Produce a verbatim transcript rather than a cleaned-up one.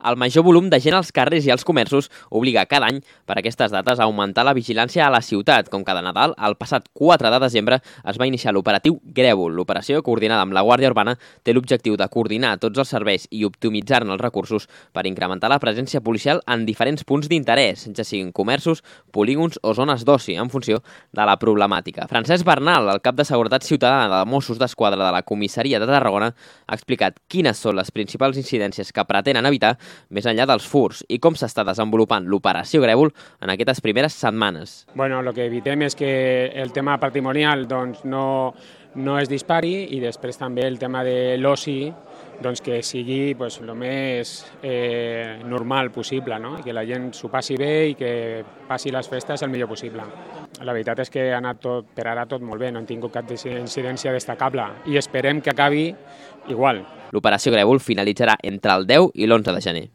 El major volum de gent als carrers i als comerços obliga cada any per aquestes dates a augmentar la vigilància a la ciutat. Com cada Nadal, el passat quatre de desembre es va iniciar l'operatiu Grèvol. L'operació, coordinada amb la Guàrdia Urbana, té l'objectiu de coordinar tots els serveis i optimitzar-ne els recursos per incrementar la presència policial en diferents punts d'interès, ja siguin comerços, polígons o zones d'oci, en funció de la problemàtica. Francesc Bernal, el cap de Seguretat Ciutadana de Mossos d'Esquadra de la Comissaria de Tarragona, ha explicat quines són les principals incidències que pretenen evitar més enllà dels furs i com s'està desenvolupant l'operació Grèvol en aquestes primeres setmanes. Bueno, lo que evitem és que el tema patrimonial doncs, no, no es dispari i després també el tema de l'oci doncs, que sigui pues, el més eh, normal possible, no? I que la gent s'ho passi bé i que passi les festes el millor possible. La veritat és que ha anat tot, per ara tot molt bé, no hem tingut cap incidència destacable i esperem que acabi igual. L'operació Grèvol finalitzarà entre el deu i l'onze de gener.